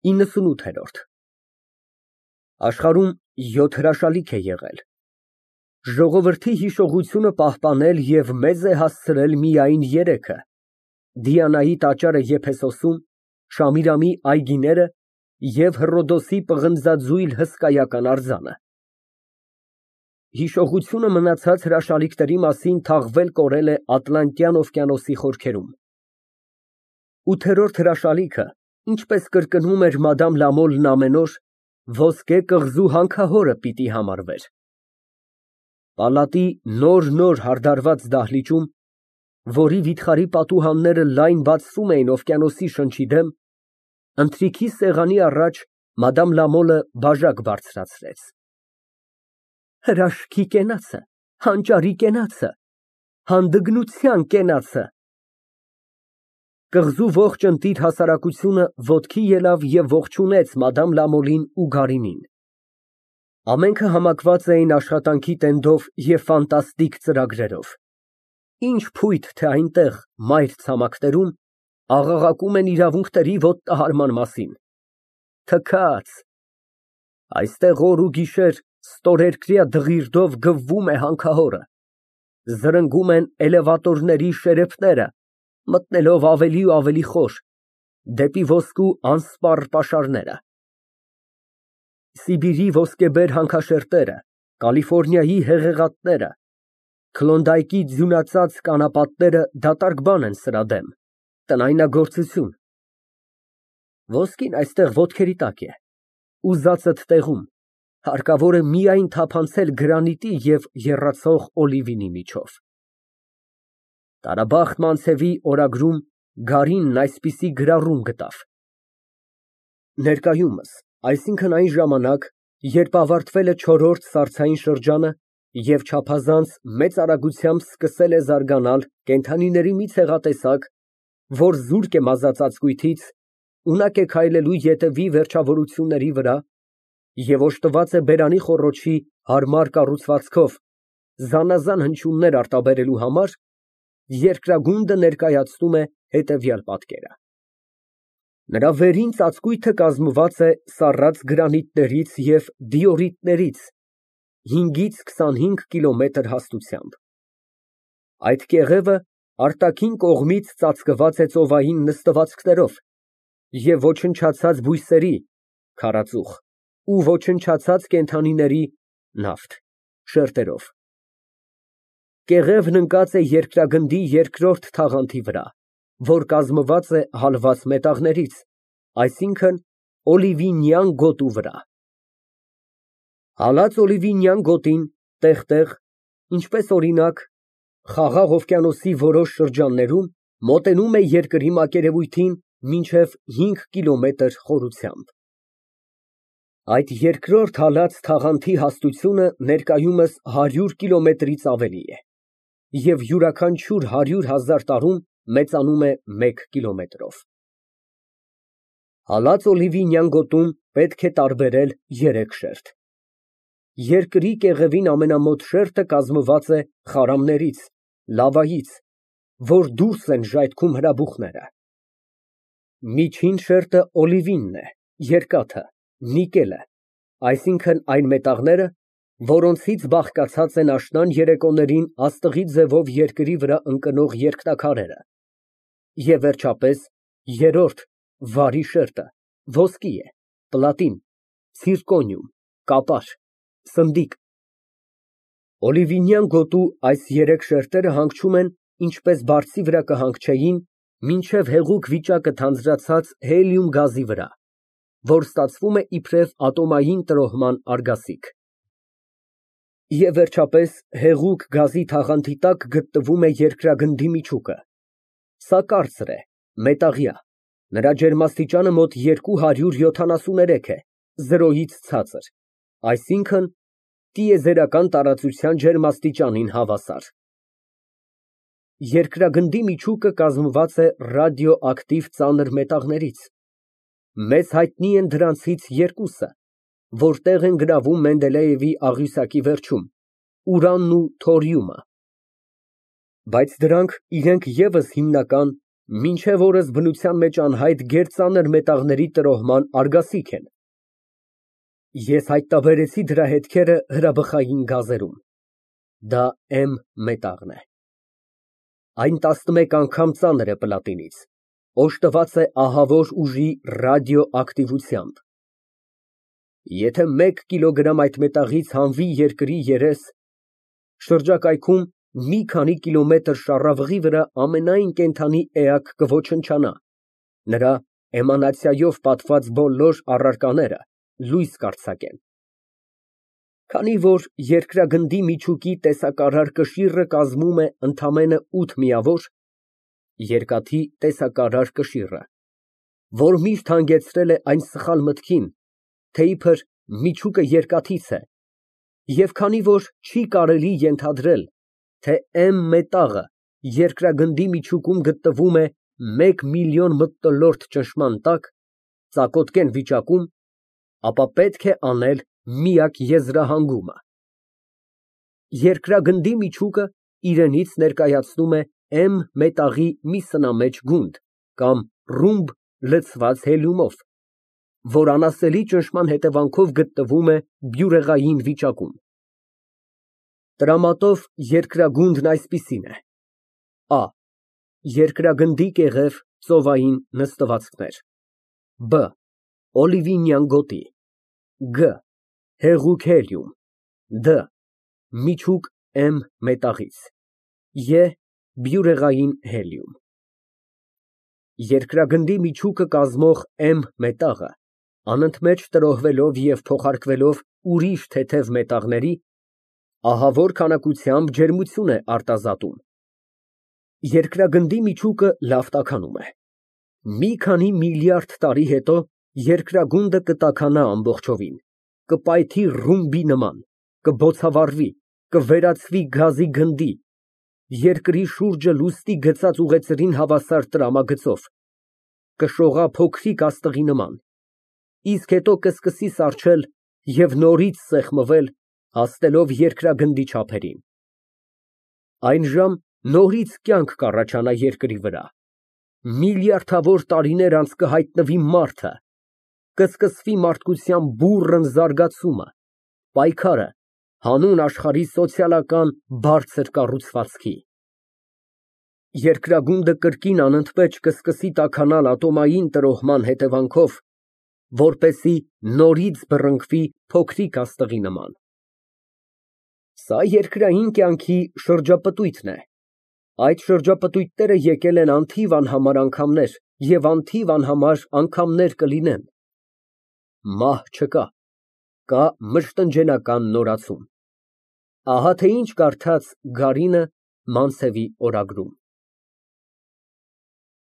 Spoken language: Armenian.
98։ Աշխարհում 7 հրաշալիք է եղել, ժողովրդի հիշողությունը պահպանել և մեզ է հասցրել միայն 3-ը՝ Դիանայի տաճարը Եփեսոսում, Շամիրամի այգիները և Հռոդոսի պղնձաձույլ հսկայական արձանը։ Հիշողությունը մնացած հրաշալիքների մասին թաղվել կորել է Ատլանտյան օվկիանոսի խորքերում։ 8-րդ հրաշալիքը, ինչպես կրկնում էր Մադամ Լամոլն ամեն օր, ոսկե կղզու հանքահորը պիտի համարվեր։ Պալատի նոր հարդարված դահլիճում, որի վիթխարի պատուհանները լայն բացվում էին օվկիանոսի շնչի դեմ, ընթրիքի սեղանի առաջ Մադամ Լամոլը բաժակ բարձրացրեց։ Հրաշքի կենացը, հանճարի կենացը, հանդգնության կենացը։ Կղզու ողջ ընտիր հասարակությունը ոտքի ելավ և ողջունեց Մադամ Լամոլին ու Գարինին։ Ամենքը համակված էին աշխատանքի տենդով և ֆանտաստիկ ծրագրերով։ Ինչ փույթ, թե այնտեղ, մայր ցամաքներում, աղաղակում են իրավունքների ոտտահարման մասին։ Թքած։ Այստեղ օր ու գիշեր ստորերկրյա դղիրդով գվվում է հանքահորը, զրնգում են էլևատորների շերեփները, մտնելով ավելի ու ավելի խոր, դեպի ոսկու անսպառ պաշարները։ Սիբիրի ոսկեբեր հանքաշերտերը, Կալիֆոռնիայի հեղեղատները, Քլոնդայքի ձյունածածկ անապատները դատարկ բան են սրա դեմ, տնայնագործություն։ Ոսկին այստեղ ոտքերի տակ է, ուզածդ տեղում, հարկավոր է միայն թափանցել գրանիտի և եռացող օլիվինի միջով։ Տարաբախտ Մանցևի օրագրում Գարինն այսպիսի գրառում գտավ. Ներկայումս, այսինքն այն ժամանակ, երբ ավարտվել է 4-րդ սառցային շրջանը և չափազանց մեծ արագությամբ սկսել է զարգանալ կենդանիների մի ցեղատեսակ, որ զուրկ է մազած ծածկույթից, ունակ է քայլելու ետևի վերջավորությունների վրա և օժտված է բերանի խոռոչի հարմար կառուցվածքով, զանազան հնչյուններ արտաբերելու համար, երկրագունդը ներկայացնում է հետևյալ պատկերը. Նրա վերին ծածկույթը կազմված է սառած գրանիտներից և դիորիտներից 5-ից 25 կիլոմետր հաստությամբ։ Այդ կեղևը արտաքին կողմից ծածկված է ծովային նստվածքներով և ոչնչացած բույսերի (քարածուխ) ու ոչնչացած կենդանիների (նավթ) շերտերով։ Կեղևն ընկած է երկրագնդի երկրորդ թաղանթի վրա, որ կազմված է հալված մետաղներից, այսինքն՝ օլիվինյան գոտու վրա։ Հալած օլիվինյան գոտին տեղ֊տեղ, ինչպես օրինակ, Խաղաղ օվկիանոսի որոշ շրջաններում, մոտենում է երկրի մակերևույթին մինչև 5 կիլոմետր խորությամբ։ Այդ երկրորդ հալած թաղանթի հաստությունը ներկայումս 100 կիլոմետրից ավելի է և յուրաքանչյուր 100,000 տարում մեծանում է 1 կիլոմետրով։ Հալած օլիվինյան գոտում պետք է տարբերել 3 շերտ։ Երկրի կեղևին ամենամոտ շերտը կազմված է խարամներից, լավայից, որ դուրս են ժայթքում հրաբուխները։ Միջին շերտը օլիվինն է, երկաթը, նիկելը, այսինքն այն մետաղները, որոնցից բաղկացած են աշնան երեկոներին աստղի ձևով երկրի վրա ընկնող երկնաքարերը, և վերջապես, երրորդ, վարի շերտը ոսկի է, պլատին, ցիրկոնիում, կապար, սնդիկ։ Օլիվինյան գոտու այս 3 շերտերը հանգչում են, ինչպես բարձի վրա կհանգչեին, մինչև հեղուկ վիճակը թանձրացած հելիում գազի վրա, որ ստացվում է իբրև ատոմային տրոհման արգասիք։ Եվ վերջապես, հեղուկ գազի թաղանթի տակ գտնվում է երկրագնդի միջուկը։ Սա կարծր է, մետաղյա, նրա ջերմաստիճանը մոտ 273 է, 0-ից ցածր, այսինքն՝ տիեզերական տարածության ջերմաստիճանին հավասար։ Երկրագնդի միջուկը կազմված է ռադիոակտիվ ծանր մետաղներից։ Մեզ հայտնի են դրանցից 2-ը, որ տեղ են գրավում Մենդելեևի աղյուսակի վերջում, ուրանն ու թորիումը։ Բայց դրանք իրենք ևս հիմնական Մինչև օրս բնության մեջ անհայտ գերծանր մետաղների տրոհման արգասիք են։ Ես հայտնաբերեցի դրա հետքերը հրաբխային գազերում։ Դա M մետաղն է։ Այն 11 անգամ ծանր է պլատինից, օժտված է ահավոր ուժի ռադիոակտիվությամբ։ Եթե 1 կիլոգրամ այդ մետաղից հանվի երկրի երես, շրջակայքում մի քանի կիլոմետր շառավղի վրա ամենայն կենդանի էակ կոչնչանա, նրա էմանացիայով պատված բոլոր առարկաները լույս կարձակեն։ Քանի որ երկրագնդի միջուկի տեսակարար կշիռը կազմում է ընդամենը 8 միավոր, երկաթի տեսակարար կշիռը, որ միշտ հանգեցրել է այն սխալ մտքին, թե իբր միջուկը երկաթից է, և քանի որ չի կարելի ենթադրել, թե M մետաղը երկրագնդի միջուկում գտնվում է 1 միլիոն մթնոլորտ ճնշման տակ, ծակոտկեն վիճակում, ապա պետք է անել միակ եզրահանգումը։ Երկրագնդի միջուկը իրենից ներկայացնում է M մետաղի մի սնամեջ գունդ կամ ռումբ լցված հելիումով, որ անասելի ճնշման հետևանքով գտնվում է բյուրեղային վիճակում։ Տրամատով երկրագունդն այսպիսին է. A. Երկրագնդի կեղև ծովային նստվածքներ, B. Օլիվինյան գոտի, G. Հեղուկ հելիում, D. Միջուկ M մետաղից, E. Բյուրեղային հելիում։ Երկրագնդի միջուկը կազմող M մետաղը անընդմեջ տրոհվելով և փոխարկվելով ուրիշ թեթև մետաղների, ահավոր քանակությամբ ջերմություն է արտազատում։ Երկրագնդի միջուկը լավ տաքանում է։ Մի քանի միլիարդ տարի հետո երկրագունդը կտաքանա ամբողջովին, կպայթի ռումբի նման, կբոցավառվի, կվերածվի գազի գնդի, երկրի շուրջը լուսնի գծած ուղեծրին հավասար տրամագծով, կշողա փոքրիկ աստղի նման, իսկ հետո կսկսի սառչել և նորից սեղմվել, հասնելով երկրագնդի չափերին։ Այնժամ նորից կյանք կառաջանա երկրի վրա, միլիարդավոր տարիներ անց կհայտնվի մարդը, կսկսվի մարդկության բուռն զարգացումը, պայքարը հանուն աշխարհի սոցիալական բարձր կառուցվածքի։ Երկրագունդը կրկին անընդմեջ կսկսի տաքանալ ատոմային տրոհման հետևանքով, որպեսզի նորից բռնկվի փոքրիկ աստղի նման։ Սա երկրային կյանքի շրջապտույտն է։ Այդ շրջապտույտները եկել են անթիվ անհամար անգամներ և անթիվ անհամար անգամներ կլինեն։ Մահ չկա, կա մշտնջենական նորացում։ Ահա թե ինչ կարդաց Գարինը Մանցևի օրագրում։